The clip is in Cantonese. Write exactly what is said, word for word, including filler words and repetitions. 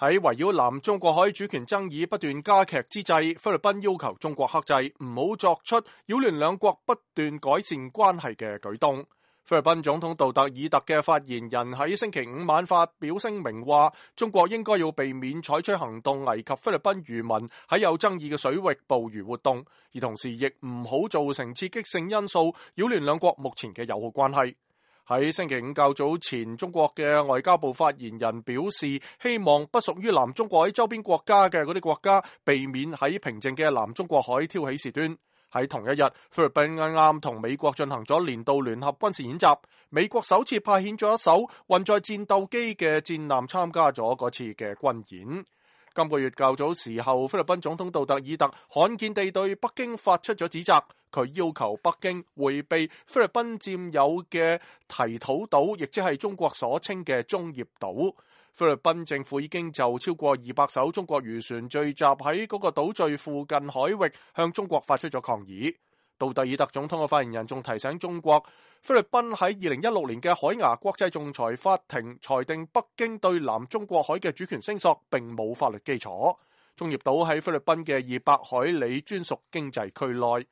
喺圍繞南中國海主權爭議不斷加劇之際，菲律賓要求中國克制，唔好作出擾亂兩國不斷改善關係嘅舉動。菲律賓總統杜特爾特嘅發言人喺星期五晚發表聲明話，中國應該要避免採取行動危及菲律賓漁民喺有爭議嘅水域捕魚活動，而同時亦唔好造成刺激性因素，擾亂兩國目前嘅友好關係。喺星期五較早前，中國嘅外交部發言人表示，希望不屬於南中國海周邊國家嘅嗰啲國家避免喺平靜嘅南中國海挑起事端。喺同一日，菲律賓啱啱同美國進行咗年度聯合軍事演習，美國首次派遣咗一艘運載戰鬥機嘅戰艦參加咗嗰次嘅軍演。今個月較早時候，菲律賓總統杜特爾特罕見地對北京發出咗指責，佢要求北京迴避菲律賓佔有嘅提土島，亦即係中國所稱嘅中業島。菲律賓政府已經就超過二百艘中國漁船聚集喺嗰個島嶼附近海域向中國發出咗抗議。杜特爾特總統嘅發言人仲提醒中國，菲律賓喺二零一六年嘅海牙國際仲裁法庭裁定北京對南中國海嘅主權聲索並冇法律基礎。中業島喺菲律賓嘅二百海里專屬經濟區內。